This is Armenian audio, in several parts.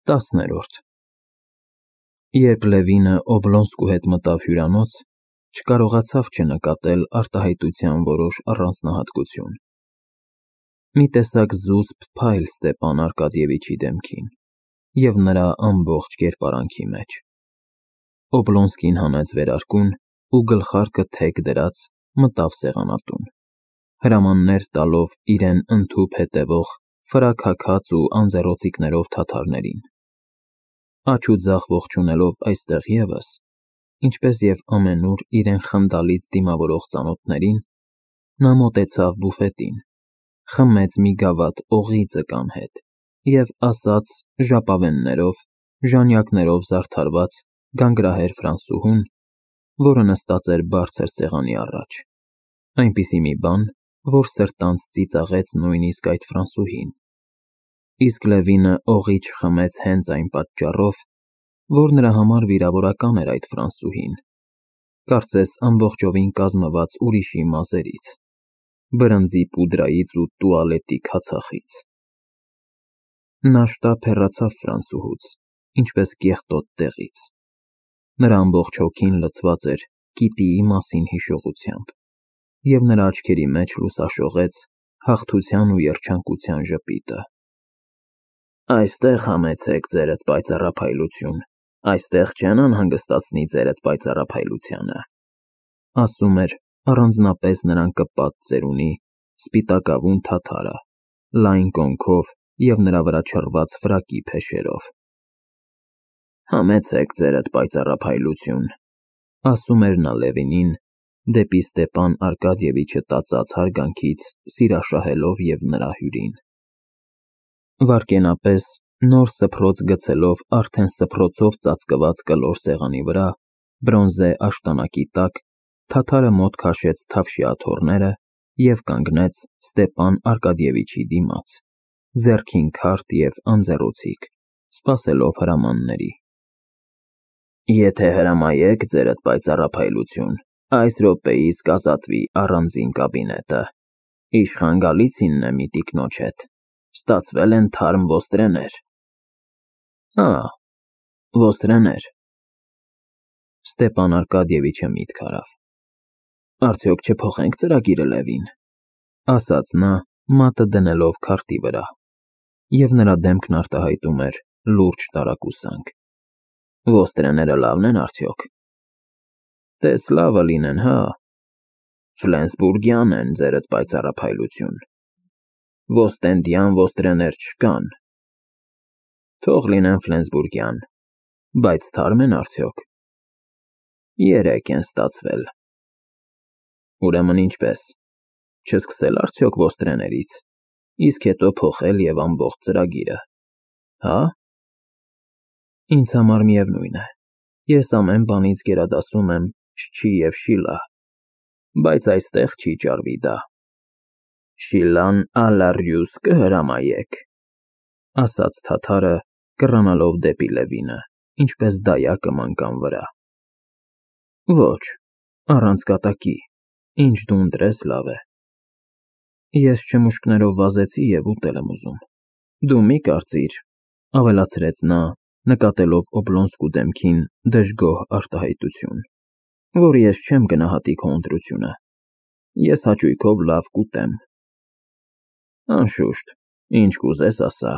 10-րդ Երբ Լևինը Օբլոնսկու հետ մտավ հյուրանոց, չկարողացավ չնկատել արտահայտության որոշ առանձնահատկություն. մի տեսակ զուսպ փայլ Ստեպան Արկադիևիչի դեմքին և նրա ամբողջ կերպարանքի մեջ։ Օբլոնսկին հանեց վերարկուն ու գլխարկը թեք դրած մտավ սեղանատուն, հրամաններ տալով իրեն ընդհուպ հետևող ֆրաքաքած ու անձեռոցիկներով թաթարներին։ Աջ ու ձախ ողջունելով այստեղ ևս, ինչպես և ամենուր իրեն խնդալից դիմավորող ծանոթներին, նա մոտեցավ բուֆետին, խմեց մի գավաթ օղի ձկան հետ և ասաց ժապավեններով, ժանյակներով զարդարված գանգրահեր ֆրանսուհուն, որը նստած էր բարձր սեղանի առաջ, այնպիսի մի բան, որ սրտանց ծիծաղեց նույնիսկ այդ ֆրանսուհին, իսկ Լևինը օղի չխմեց հենց այն պատճառով, որ նրա համար վիրավորական էր այդ ֆրանսուհին, կարծես ամբողջովին կազմված ուրիշի մազերից, բրնձի պուդրայից ու տուալետի քացախից։ Նա շտապ հեռացավ ֆրանսուհուց, ինչպես կեղտոտ տեղից։ Նրա ամբողջ հոգին լցված էր գիտիի մասին հիշողությամբ, և նրա աչքերի մեջ լուսաշողեց հաղթության ու երջանկության ժպիտը։ Այստեղ համեցեք ձերդ պայծառափայլություն, այստեղ չեն անհանգստացնի ձերդ պայծառափայլությանը, ասում էր առանձնապես նրան կպած ծերունի, սպիտակավուն թաթարը, լայն կոնքով և նրա վրա չռված ֆրակի փեշերով։ Համեցեք ձերդ պայծառափայլություն, ասում էր նա Լևինին, դեպի Ստեպան Արկադիևիչը տածած հարգանքից սիրաշահելով և նրա հյուրին։ Վայրկենապես նոր սփռոց գցելով արդեն սփռոցով ծածկված կլոր սեղանի վրա, բրոնզե աշտանակի տակ, թաթարը մոտ քաշեց թավշյա աթոռները և կանգնեց Ստեպան Արկադիևիչի դիմաց, ձեռքին քարդ և անձեռոցիկ, սպասելով հրամանների։ Եթե հրամայեք ձերդ պայծառափայլություն, այս րոպեիս կազատվի առանձին կաբինետը, իշխան Գալիցինն է մի տիկնոջ հետ, ստացվել են թարմ ոստրեներ։ Հա, ոստրեներ։ Ստեպան Արկադիևիչը միտք արավ։ Արդյոք չփոխենք ծրագիրը, Լևին, ասաց նա, մատը դնելով քարտի վրա, և նրա դեմքն արտահայտում էր լուրջ տարակուսանք։ Ոստրեները լավն են արդյոք։ Տես լավը լինեն, հա։ Ֆլենսբուրգյան են, ձերդ պայծառափայլություն։ Ոստենդյան ոստրեներ չկան։ Թող լինեն ֆլենսբուրգյան, բայց թարմ են արդյոք։ 3 են ստացվել։ Ուրեմն ինչպես, չսկսել արդյոք ոստրեներից, իսկ հետո փոխել և ամբողջ ծրագիրը, հա։ Ինձ համար միևնույն է, ես ամեն բանից գերադասում եմ շչի և շիլա, բայց այստեղ չի ճարվի դա։ Շիլան ալարյուս կհրամայեք, ասաց թաթարը, կռանալով դեպի Լևինը, ինչպես դայակը մանկան վրա։ Ոչ, առանց կատակի, ինչ դու ընտրես լավ է։ Ես չմուշկներով վազեցի և ուտել եմ ուզում։ Դու մի կարծիր, ավելացրեց նա, նկատելով Օբլոնսկու դեմքին դժգոհ արտահայտություն, որ ես չեմ գնահատի քո ընտրությունը, ես հաճույքով լավ կուտեմ։ Անշուշտ, ինչ կուզես ասա,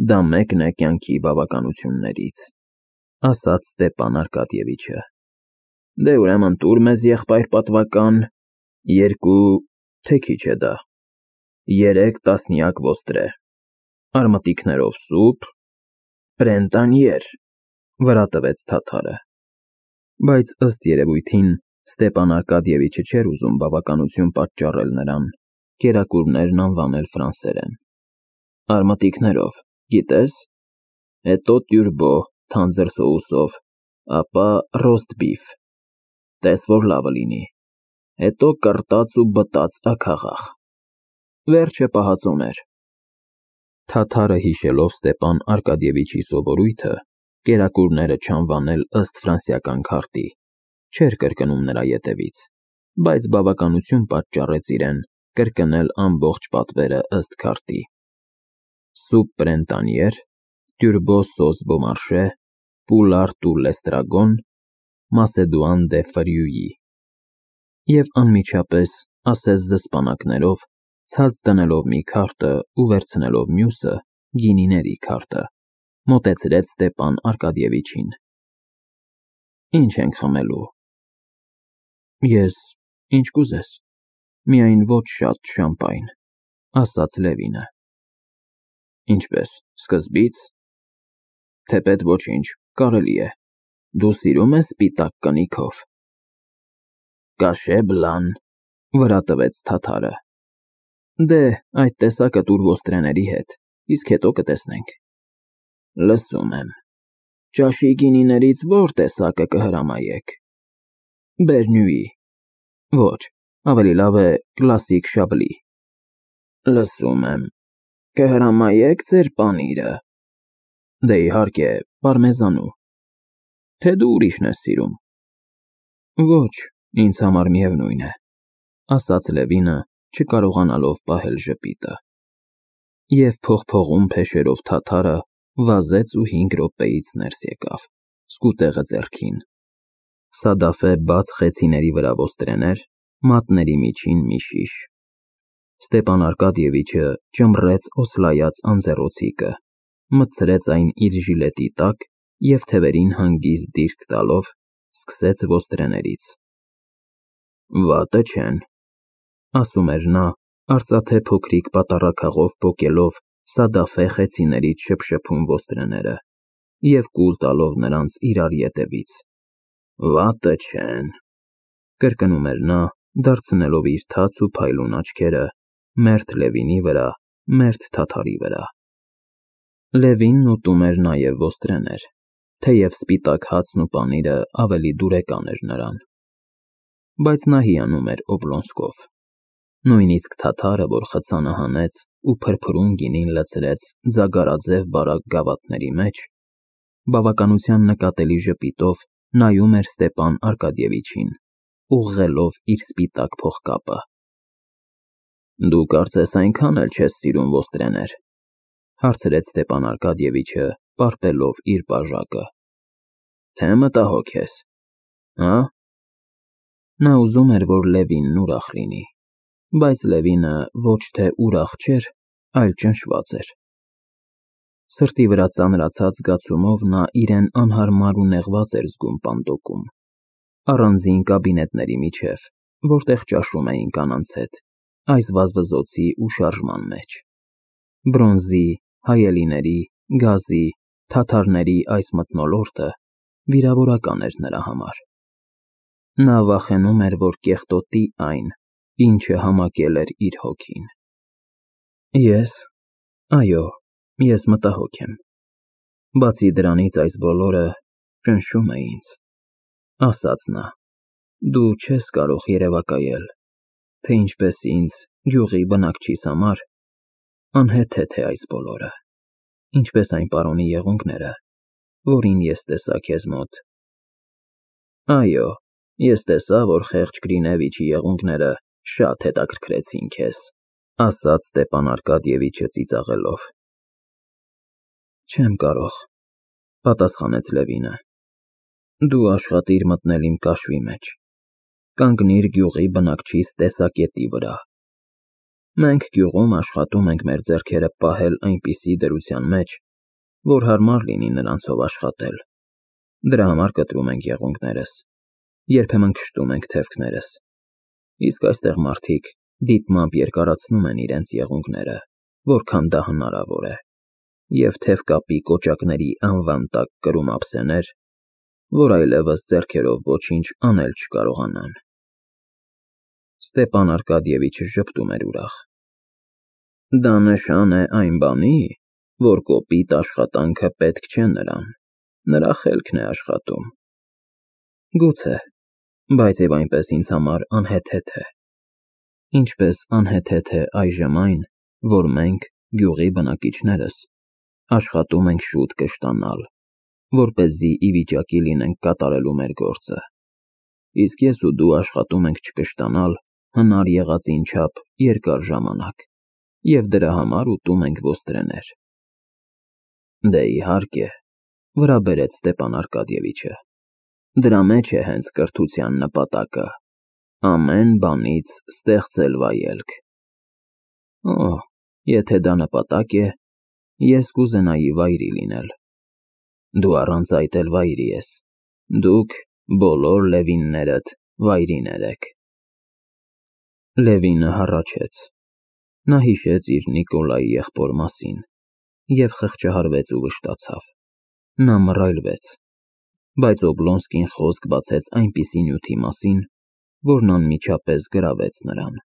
դա մեկն է կյանքի բավականություններից, ասաց Ստեպան Արկադիևիչը։ Դե ուրեմն տուր մեզ եղբայր պատվական, 2, թե քիչ է դա, 3 տասնյակ ոստրե, արմատիկներով սուփ, պրենտանիեր, վրա տվեց թաթարը, բայց ըստ երևույթին Ստեպան Արկադիևիչը չէր ուզում բավականություն պատճառել նրան, կերակուրներն անվանել ֆրանսերեն։ Արմատիկներով, գիտես, հետո տյուրբո թանձր սոուսով, ապա ռոստբիֆ, տես որ լավը լինի, հետո կռտած ու բտած աքաղախ, վերջը պահածոներ։ Թաթարը հիշելով Ստեպան Արկադիևիչի սովորույթը, կերակուրները չանվանել ըստ ֆրանսիական քարտի, չէր կրկնում նրա ետևից, բայց բավականություն պատճառեց իրեն կրկնել ամբողջ պատվերը ըստ քարտի։ Սուպ պրենտանիեր, Turbo Sauce Beaumarchais, Poulard ou l'Estragon, Macédoine de Feuilly։ Եվ անմիջապես, ասես զսպանակներով, ցած դնելով մի քարտը ու վերցնելով մյուսը, գինիների քարտը, մոտեցրեց Ստեփան Արկադիևիչին։ Ինչ ենք խմելու։ Ես ինչ կուզես, միայն ոչ շատ շամպայն, ասաց Լևինը։ Ինչպես, սկզբից։ Թեպետ ոչինչ, կարելի է։ Դու սիրում ես սպիտակ կնիքով։ Կաշե բլան, վրա տվեց թաթարը։ Դե, այդ տեսակը տուր ոստրեների հետ, իսկ հետո կտեսնենք։ Լսում եմ։ Ճաշի գինիներից ո՞ր տեսակը կհրամայեք։ Բերնյուի։ Ոչ, ավելի լավ է կլասիկ շաբլի։ Լսում եմ։ Կհրամայեք ձեր պանիրը։ Դե իհարկե, պարմեզանու։ Թե դու ուրիշն ես սիրում։ Ոչ, ինձ համար միևնույն է, ասաց Լևինը, չկարողանալով պահել ժպիտը։ Եվ փողփողում փեշերով թաթարը վազեց ու 5 րոպեից ներս եկավ, սկուտեղը ձեռքին։ Սադաֆե բաց խեցիների վրա ոստրեներ, մատների միջին մի շիշ։ Ստեփան Արկադիևիչը ճմռեց օսլայած անձեռոցիկը, մտցրեց այն իր ժիլետի տակ և թևերին հանգիստ դիրք տալով, սկսեց ոստրեներից։ Վատը չեն, ասում էր նա, արծաթե փոքրիկ պատառաքաղով պոկելով Սադաֆե խեցիներից շփշփում ոստրեները և կուլ տալով նրանց իրար ետևից։ Վատը չեն, կրկնում էր նա, դարձնելով իր թաց ու փայլուն աչքերը մերթ Լևինի վրա, մերթ թաթարի վրա։ Լևինն ուտում էր նաև ոստրեներ, թեև սպիտակ հացն ու պանիրը ավելի դուրեկան էր նրան։ Բայց նա հիանում էր Օբլոնսկով։ Նույնիսկ թաթարը, որ խցանը հանեց ու փրփրուն գինին լցրեց ձագարաձև բարակ գավաթների մեջ, բավականության նկատելի ժպիտով նայում էր Ստեփան Արկադիևիչին, ուղղելով իր սպիտակ փողկապը։ Դու կարծես այնքան էլ չես սիրում ոստրեներ, հարցրեց Ստեփան Արկադիևիչը, պարպելով իր բաժակը։ Թե մտահոգ ես, հա՞։ Նա ուզում էր, որ Լևինն ուրախ լինի, բայց Լևինը ոչ թե ուրախ չէր, այլ ճնշված էր։ Սրտի վրա ծանրացած զգացումով նա իրեն անհարմար ու նեղված էր զգում պանդոկում, առանձին կաբինետների միջև, որտեղ ճաշում էին կանանց հետ, այս վազվզոցի ու շարժման մեջ։ Բրոնզի, հայելիների, գազի, թաթարների այս մթնոլորտը վիրավորական էր նրա համար։ Նա վախենում էր, որ կեղտոտի այն, ինչը համակել էր իր հոգին։ Այո, ես մտահոգ եմ։ Բացի դրանից այս բոլորը ճնշում է ինձ, ասաց նա։ Դու չես կարող երևակայել, թե ինչպես ինձ, գյուղի բնակչիս համար, անհեթեթ է այս բոլորը, ինչպես այն պարոնի եղունգները, որին ես տեսա քեզ մոտ։ Այո, ես տեսա, որ խեղճ Գրինևիչի եղունգները շատ հետաքրքրեցին քեզ, ասաց Ստեփան Արկադիևիչը ծիծաղելով։ Չեմ կարող, պատասխանեց Լևինը։ Դու աշխատիր մտնել իմ կաշվի մեջ, կանգնիր գյուղի բնակչիս տեսակետի վրա։ Մենք գյուղում աշխատում ենք մեր ձեռքերը պահել այնպիսի դրության մեջ, որ հարմար լինի նրանցով աշխատել։ Դրա համար կտրում ենք եղունգներս, երբեմն քշտում ենք թևքներս, իսկ այստեղ մարդիկ դիտմամբ երկարացնում են իրենց եղունգները, որքան դա հնարավոր է, և թևկապի կոճակների անվան տակ կրում ափսեներ, որ այլևս ձեռքերով ոչինչ անել չկարողանան։ Ստեփան Արկադիևիչը ժպտում էր ուրախ։ Դա նշան է այն բանի, որ կոպիտ աշխատանքը պետք չէ նրան, նրա խելքն է աշխատում։ Գուցե, բայց և այնպես ինձ համար անհեթեթ է։ Ինչպես անհեթեթ է այժմ այն, որ մենք, գյուղի բնակիչներս, աշխատում ենք շուտ կշտանալ, որպեսզի ի վիճակի լինենք կատարելու մեր գործը, իսկ ես ու դու աշխատում ենք չկշտանալ հնար եղածին չափ երկար ժամանակ և դրա համար ուտում ենք ոստրեներ։ Դե իհարկե, վրա բերեց Ստեպան Արկադիևիչը։ Դրա մեջ է հենց կրթության նպատակը, ամեն բանից ստեղծել վայելք։ Օ, եթե դա նպատակ է, ես կուզենայի վայրի լինել։ Դու առանց այդ էլ վայրի ես։ Դուք բոլոր Լևիններդ վայրիներ եք։ Լևինը հառաչեց։ Նա հիշեց իր Նիկոլայի եղբոր մասին և խղճահարվեց ու վշտացավ։ Նա մռայլվեց, բայց Օբլոնսկին խոսք բացեց այնպիսի նյութի մասին, որն անմիջապես գրավեց նրան։